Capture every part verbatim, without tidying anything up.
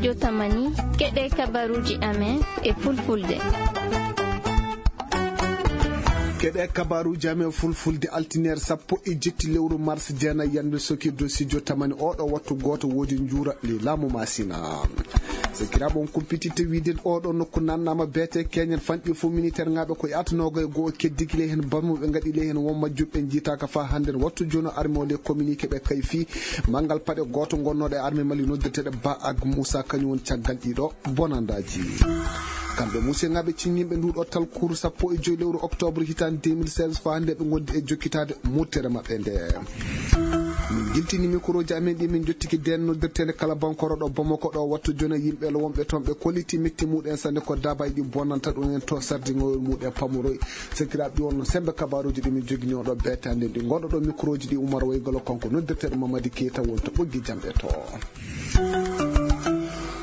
Jotamani, keɗe kabaruuji amen e fulfulde. Keɗe kabaruuji amen fulfulde, altineer sappo e jetti lewru mars jeenayi, yande sokirde studio tamani oɗo wattu gooto woodi njuura le laamu Masina. Sakiraaɓe, on kumpititte wiide oɗo nokku nannaama beete keñen fanɗi fof militaire ŋaaɓe ko yaata noogay goo keddi gila heen barmuɓe ngaɗi le heen won majjuɓe njiitaaka faa hannden wattu jooni arme o le communiqué ɓe kayfi manngal paɗe gooto gonnooɗo e arme Mali noddirteeɗo Ba ak Moussa kañum woni caggal ɗiɗo bonandaaji. Kamɓe musidɓe ciññiiɓe nduuɗo talkuru sappo e joyi lewru octobre hitaande deux mille seize faa hannde ɓe ngondi e jokkitaade murtere maɓɓe nde. Min jiltini mikrooji amen ɗi min jottiki deen noddirteende kala bankoro ɗo Bamako ɗo wattu jona yimɓe lo wonɓe toon ɓe kolliti metti muɗen sanne ko daabaaji ɗi bonanta ɗum en to sardiŋol muɗen pamoroy. Sakiraaɓe ɗi wonno sembe kabaruuji ɗi min jogini oɗo beetaande ɗi ngonɗo ɗo mikrooji ɗi Umar Waygolo kanko noddirteeɗo Mamadi Keita wonto ɓoggi jamɗe to.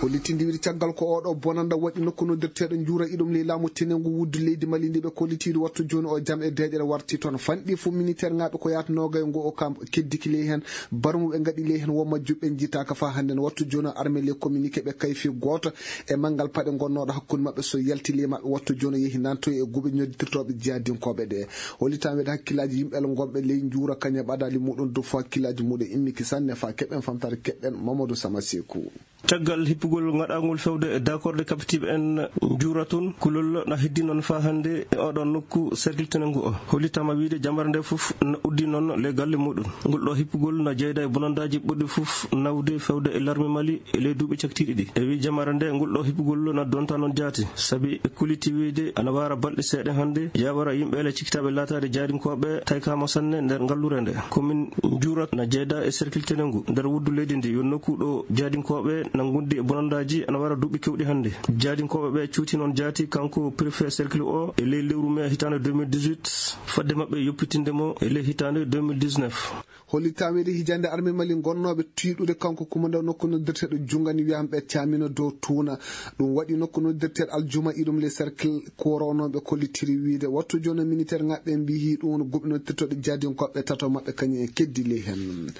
Kollitinde wiide caggal ko oɗo bonanda waɗi nokku noddirteeɗo njuura iɗum ley laamu tenengu wuddu leydi Mali ndi ɓe kollitiiɗo wattu jooni o jam e deeƴere warti toon fanɗi fof militaire ŋaaɓe ko yaata noogay ngo o kam keddiki ley heen barmuɓe ngaɗi ley heen wo majjuɓe njiitaaka faa hannden wattu jooni o arme ley communiqué ɓe kayfi gooto e manngal paɗe gonnooɗo hakkunde maɓɓe so yalti ley maɓɓe wattu jooni o yehi nantoyi e guɓe ñoddirtooɓe jihadinkooɓe ɗe. Hollitan weede hakkillaaji yimɓe ala ngonɓe ley njuura kañe ɓadaali muɗum dow fof hakkillaaji muɗum immiki sanne faa keɓen famtare keɓɗen Mamadou Sama Seku. Caggal hippugol ngaɗaangol fewde e dakorde kapitiiɓe en njuura toon kulol na heddi noon faa hannde e oɗon nokku cercle tenengu o hollitama wiide jamare nde fof na uddi noon le galle muɗum. Ngol ɗo hippugol na jeyda e bonandaaji ɓurɗi fof nawde fewde e larme Mali e ley duuɓi caktiiɗi ɗi. E wi jamare nde ngol ɗo hippugol na donta noon jaati sabi e kuliti wiide ana waara balɗe seeɗa hannde yawara yimɓe ele cikkitaaɓe laataade jaadinkooɓe taykama sanne nder ngallure nde. Komin njuura na jeyda e cercle tenengu nder wuddu leydi ndi yo nokku ɗo jaadinkooɓe na ngondi e bonandaaji ana waara duuɓi kewɗi hannde. Jaadinkooɓe ɓe cuuti noon jaati kanko préfet cercle o e ley lewru mai hitaande deux mille dix-huit fadde maɓɓe yoppitinde mo e ley hitaande deux mille dix-neuf. Hollitaweede hijande arme Mali gonnooɓe tiiɗude kanko kumanda nokku noddirteeɗo jungani wiyamɓe camino dow tuuna. Ɗum waɗi nokku noddirteeɗo aljuma iɗum le cercle koronooɓe kollitiri wiide wattu jono militaire ngaɓɓe mbihi ɗum woni guɓe noddirtooɗe jaadinkoɓe tato maɓɓe kañum en keddi ley heen.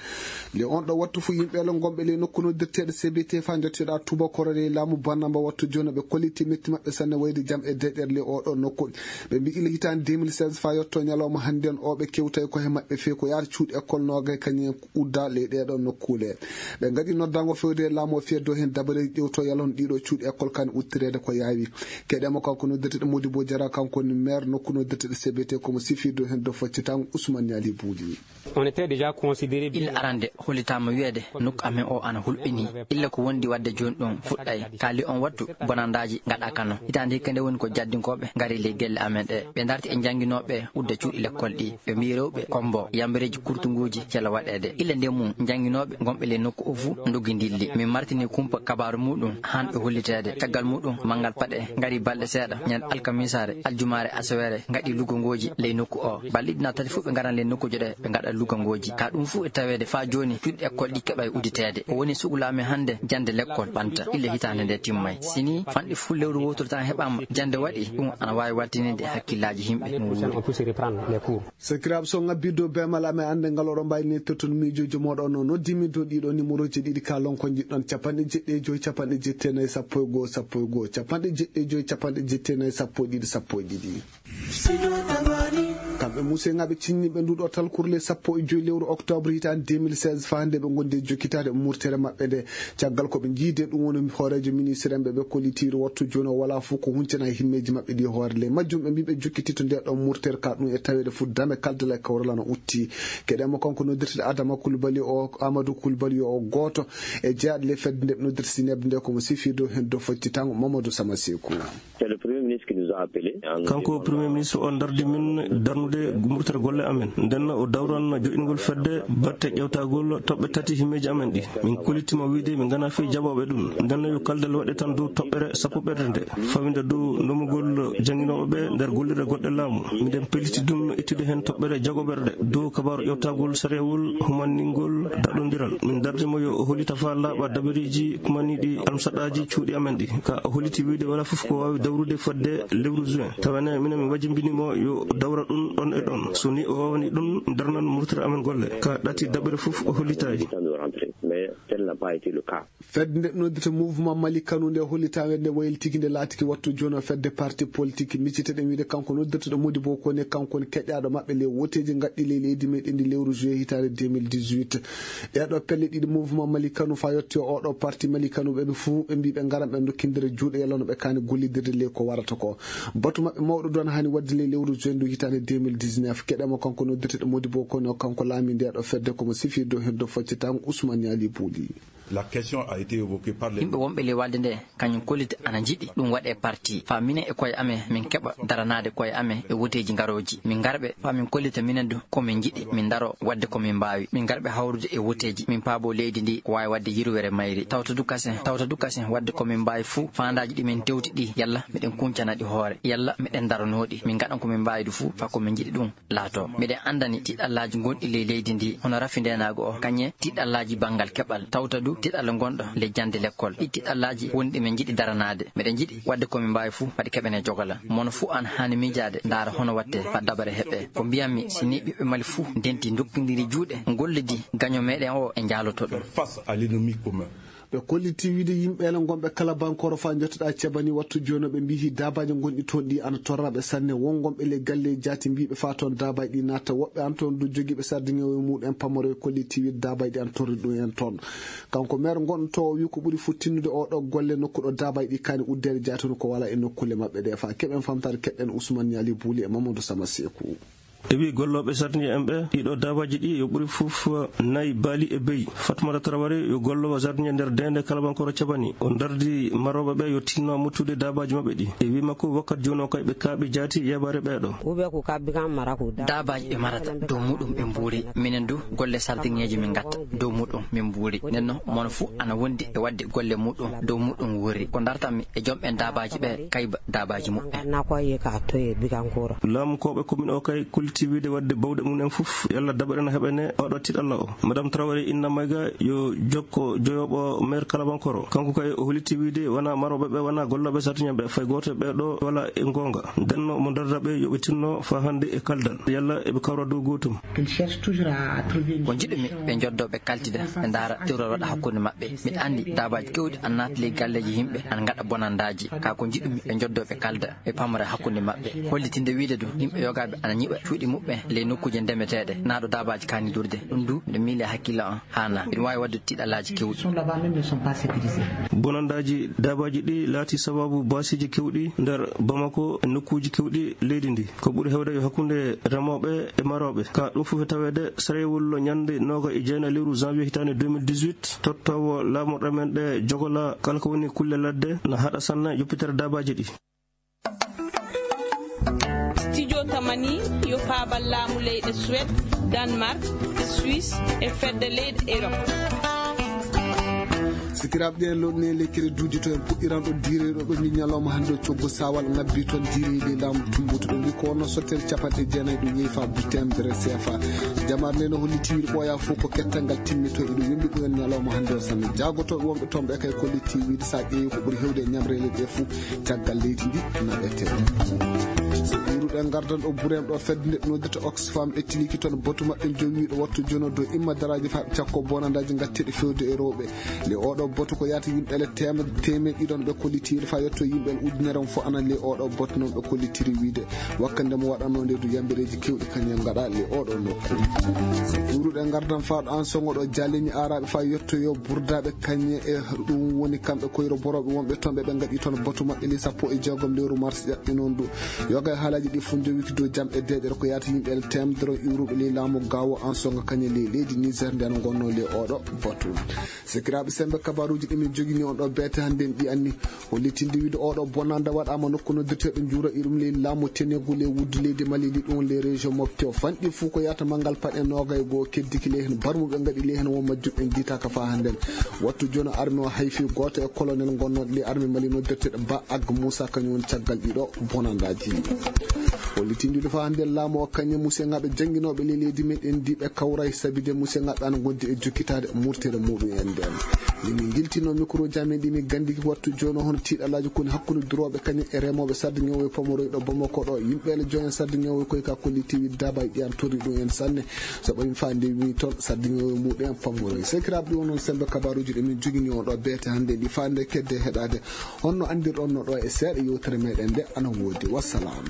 Le on ɗo wattu fof yimɓe le gonɓe ley nokku noddirteeɗo C B T faa jottiyoɗa tubakoro ley laamu bannamba wattu jono ɓe kolliti metti maɓɓe sanne wayde jam e deƴƴere ley oɗo nokku. Ɓe mbi ila hitaande deux mille seize faa yetto ñalawma hannden o ɓe kewtay ko he maɓɓe fee ko yaata cuuɗi école noogay kañum en udda ley ɗeeɗo nokkuule. Ɓe ngaɗi noddango fewde e laamu o feddo heen dabareeji ƴewto yalon ɗiɗo cuuɗi école kan uttireede ko yaawi. Keɗemo kanko noddirteeɗo Modibo Jara kanko woni maire nokku noddirteeɗo C B T komo sifirdo heen do faccitango Ousmane Niali Bouli. On était déjà considéré illa arande hollitaama wiyeede nokku amen o ana hulɓinii. Illa ko wondi waɗde jooni ɗum fuɗɗay kaali on wattu bonandaaji ngaɗa kano hitaande hikka nde woni ko jaddinkooɓe ngari ley gelle amen ɗe ɓe ndarti e njannginooɓe udda cuuɗi lekkol ɗi ɓe mbiyi rewɓe kombo yambareeji kurtunguuji cela waɗeede illa nde mum njannginooɓe gonɓe ley nokku o fuu ndoggi ndilli min martini kumpa kabaaru muɗum han ɓe holliteede caggal muɗum manngal paɗe ngari balɗe seeɗa ñande alkamisaare aljumaare asawere ngaɗi luggongooji ley nokku o balɗe ɗina tati fof ɓe ngaran ley nokkuuji ɗe ɓe ngaɗa luggongooji ka ɗum fof e taweede faa jooni cuuɗi école ɗi keɓay udditeede o woni sugulaamen hannde jannde lekkol ɓanta illa hitaande nde timmay sini fanɗi fof lewru wowtoro tan heɓaama jannde waɗi ɗum ana waawi waltininde hakkillaaji yimɓe no wuuri. Sakiraaɓe so ngabbiddo bemal amen annde ngal oɗo mbayni totton miijoji moɗon no noddimi dow ɗiɗo numéroji ɗiɗi ka lonko jiɗɗon capanɗe jeɗɗi e joyi capanɗe jetti e nayi sappo e goo sappo e goo capanɗe jeɗɗi e joyi capanɗe jetti e nayi sappo e ɗiɗi sappo e ɗiɗi. Kamɓe musengaɓe cinniɓe nduɗo talkurle sappo e joyi lewru octobre hitaande deux mille seize faa nde ɓe gondi e jokkitaade murtere maɓɓe nde caggal ko ɓe jiide ɗum woni hooreejo ministre en ɓe ɓe kollitiiri wattu jooni o wala fof ko huncana e himmeeji maɓɓe ɗi hoore ley majjum ɓe mbi ɓe jokkititto nde ɗon murtere ka ɗum e taweede fof dame kaldala e kawrala no utti keɗemo kanko noddirteɗo Adama Kulbali o Amadou Kulbali o gooto e jeyaaɗo ley fedde nde ɓe noddirta sinebde nde komo sifirdo heen do foccitango Mamadou Sama Seku. Kanko premier ministre o dardi min darnude murtere golle amen ndenno o dawran joɗɗingol fedde batte ƴewtagol toɓɓe tati himmeeji amen ɗi min kollitima wiide min ngana fii jaɓooɓe ɗum ndenno yo kaldal waɗe tan dow toɓɓere sappoɓerde nde fawinde dow ndomugol jannginooɓe ɓe nder gollirde goɗɗe laamu miɗen pelliti ɗum ittude heen toɓɓere jagoɓerde dow kabaaru ƴewtagol sariyawol humanningol daɗondiral min dardimo yo o hollita faa laaɓa dabareeji kumaniiɗi almusaɗaaji cuuɗi amen ɗi ka o holliti wiide wala fof ko waawi dawrude fodde Lewru juin, tawa ne minen mi wajjimbini mo yo dawra ɗum ɗon e ɗon. So ni o waawani ɗum, darnan murtere amen golle. Ka ɗati daɓere fof o hollitaaki. Fedde nde noddirta Mouvement Mali Kanu nde hollitaande nde waylitiki nde laatiki wattu jooni o fedde parti politique. Micciteɗen wiide kanko noddirteɗo Modibo Kone, kanko woni keƴaaɗo maɓɓe ley woteeji ngaɗɗi ley leydi meɗen ndi lewru juillet hitaande deux mille dix-huit. Ɗeeɗo pelle ɗiɗi Mouvement Mali Kanu faa yotti o oɗo parti Mali Kanu ɓe fuu ɓe mbii ɓe ngaran ɓe ndokkindira juuɗe yalla no ɓe kaani gollidirde ley ko warata ko. Batu maɓɓe mawɗo duwan haani waɗde ley lewru juin ndu hitaande deux mille dix-neuf. Keɗen mo kanko noddirteɗo Modibo Kone o kanko laami ndeeɗo fedde ko mo sifii dow heen dow faccitaango Ousmane Yaali Buuli. La question a été évoquée par les Yimɓe wonɓe ley walde nde, kañum kollita ana njiɗi ɗum waɗe parti. Faa minen e koye amen, min keɓa daranaade koye amen e woteeji ngarooji. Min ngarɓe, faa min kollita minen du ko min njiɗi, min ndaro waɗde ko min mbaawi. Min ngarɓe hawrude e woteeji, min paabo leydi ndi ko waawi waɗde yirwere mayri. Tawta du kasen, tawta du kasen waɗde ko min mbaawi fuu, faandaaji ɗi min tewti ɗi, yalla miɗen kuncana ɗi hoore, yalla miɗen ndaranoo ɗi. Min ngaɗan ko min mbaawi du fuu, faa ko min njiɗi ɗum laato. Miɗen anndani tiɗallaaji gonɗi ley leydi ndi, hono rafi ndeenaagu o, kañe tiɗallaaji banngal keɓal, tawta du tiɗalla gonɗo ley jannde lekkol. Ɗi tiɗallaaji woni ɗi min njiɗi daranaade. Miɗen njiɗi waɗde ko min mbaawi fuu, faa ɗi keɓene jogola. Mono fuu ana haani miijaade, ndaara hono waɗte faa dabare heɓe. Ko mbiyanmi, si ni ɓiɓɓe Mali fuu ndenti, ndokkindiri juuɗe, ngollidi gaño meɗen o e njaaloto ɗum. Face à l'ennemi commun. Ɓe kolliti wiide yimɓe ene ngonɓe kala bankoro faa njottoɗaa cebani wattu jooni o ɓe mbihi daabaaji gonɗi toon ɗi ana torra ɓe sanne. Won ngonɓe ley galle jaati mbiiɓe faa toon daabaaji ɗi natta. Woɓɓe an toon du jogiiɓe sardiŋeewo e muɗum en pamaro e kolliti wiide daabaaji ɗi ana torri ɗum en toon. Kanko meer ngonɗo to o wi ko ɓuri fuu tinnude o ɗo golle nokku ɗo daabaaji ɗi kaani uddeede jaati no ko wala e nokkuule maɓɓe ɗe faa keɓen famtaade keɗɗen Ousmane Yaali Buuli e Mamadou Sama Seeku. E wi gollooɓe sardiŋe en ɓe, ɗiɗo daabaaji ɗi yo ɓuri fof nayi baali e beyi. Fatmata Traoré yo gollowo sardiŋe nder deende kalabankoro cabani. O dardi marooɓe ɓe yo tinno muttude daabaaji maɓɓe ɗi. E wi makko wakkati jooni o kay ɓe kaaɓi jaati yeebaare ɓeeɗo. Ube ku kabbi kan mara ku da. Daabaaji ɓe marata dow muɗum ɓe mbuuri. Minen du golle sardiŋeeji min ngatta dow muɗum min mbuuri. Nden no mono fuu ana wondi e waɗde golle muɗum dow muɗum wuuri. Ko dartanmi e jom ɓen daabaaji ɓe kayba daabaaji muɓɓen. Nakoye ka toye bigankoro. Laamukooɓe commune o kay kolliti wiide waɗde bawɗe mum en fof yalla daɓere na heɓene oɗo tiɗalla o. Madame Traoré Inna Mayga yo jokko joyoɓo maire Kalabankoro. Kanko kay o holliti wiide wona marooɓe ɓe, wona gollooɓe sardiŋe ɓe, fay gooto e ɓee ɗo wala e goonga. Nden no mo darda ɓe yo ɓe tinno faa hannde e kaldal. Yalla eɓe kawra dow gootum. Ko njiɗumi ɓe njoddo ɓe kaltida, ɓe ndaara terol waɗa hakkunde maɓɓe. Miɗa anndi daabaaji keewɗi ana naata ley galleeji yimɓe, ana ngaɗa bonandaaji. Kaa ko njiɗumi ɓe njoddo ɓe kalda, ɓe pamra hakkunde maɓɓe. Hollitinde wiide du, yimɓe yogaaɓe ana ñiɓa cuuɗi muɓɓen ley nokkuuje ndemeteeɗe, naa ɗo daabaaji kaani duurde. Ɗum du, miɗo miili hakkille an haanaa. Ina waawi waɗde tiɗalaaji keewɗi. Bonandaaji daabaaji ɗi laati sababu baasiiji keewɗi nder Bamako e nokkuuji keewɗi leydi ndi. Ko ɓuri heewde yo hakkunde remooɓe e marooɓe. Ka ɗum fof e taweede, sarewol ñannde nooga e jeenayi lewru janvier hitaande deux mille dix-huit, tottoowo laamorɗe men ɗe jogola kala ko woni kulle ladde na haɗa sanne yoppitere daabaaji ɗi. Studio Tamani yo paabal laamu leyɗe Suède, Danemark, Suisse e fedde leyɗe Europe. Sikiraaɓe, ɗe lolne lekkere duuji to en puɗɗiran ɗo diireɗo ɗo ni ñalawma hannde o coggu saawal ngabbi toon diireede laamu tumbutuɗo ndi ko wonno sottere capanɗe jeenayi ɗum yehi faa butte en bere C F A. Jamaare nde no holli tiwiiɗo ɓooya fof ko kettal ngal timmito eɗo wembi ɗum en ñalawma hannde o sanne. Jaagotooɓe wonɓe toon ɓe kay kolli tiwiiɗo sa ƴeewi ko ɓuri hewde e ñamreele ɗe fof caggal leydi ndi naɓete. So ɓeyruɗen ngardan ɗo bureem ɗo fedde nde noddirta Oxfam ɓe tiliki toon batu maɓɓe jowiiɗo wattu jono dow imma daraaji faa ɓe cakko bonandaaji ngatteɗi fewde e rewɓe. Le oɗo botu ko yaata yimɓe le teemedde teemeɗe ɗiɗon ɓe kollitiiɗo faa yetto yimɓe le ujunere on fof anan le oɗo botu noon ɓe kollitiri wiide wakkande mo waɗanoo nde du yambireeji keewɗi kañum ngaɗa le oɗo nokku. Ɓeyruɗen ngardan faa ɗo an songo ɗo jaalini aaraaɓe faa yettoyo burdaaɓe kañe e ɗum woni kamɓe koyro borooɓe wonɓe toon ɓe ɓe ngaɗi toon batu maɓɓe le sappo e jeegom lewru mars ƴaɓɓi noon du. Yoga e haalaaji ɗi fof njowiti dow jam e deeƴere ko yaata yimɓe le teemedere on iwruɓe le laamu gaawo an songo kañe le leydi Niger nden ngonnoo le oɗo botu. Sikiraaɓe sembe kabaruuji ɗi min jogini on ɗo beete hannde en ɗi anni. Hollitinde wiide oɗo bonande waɗaama nokku noddirteeɗo njuura irum ley laamu tenegu ley wuddu leydi Mali ndi ɗum ley région Mopti o fanɗi fuu ko yaata manngal paɗe noogay goo keddiki ley heen barmuɓe ngaɗi ley heen won majjuɓe en jiitaaka faa hannden. Wattu jooni arme o hayfi gooto e colonel ngonnooɗo ley arme Mali noddirteeɗo Ba Ag Moussa kañum woni caggal ɗiɗo bonandaaji. Hollitinde wiide faa hannden laamu o kañum musiyaŋaaɓe jannginooɓe ley leydi men en ndi ɓe kawray sabide musiyaŋaaɓe ana ngondi e jokkitaade murtere muɗum en nden. Min giltino mikro jamin ɗi min gandi wattu jono hono tiiɗalaji koni hakkunde durooɓe kañum e remoɓe sarde ñowoy pomoroy ɗo Bamako ɗo. Yimɓe le joñen sarde ñowoy koy ka kolli tiwi daba ƴan tori ɗum en sanne. So ɓayin fa nde mi toon sarde ñowoy muɗen pomoroy. Sekiraɓe ɗum onon sembe kabaruji ɗe min jogini on ɗo beete hannde ɗi fa nde kedde heɗade. Honno andirɗon no ɗo e seeɗa yewtere meɗen nde ana wodi. Wassalam.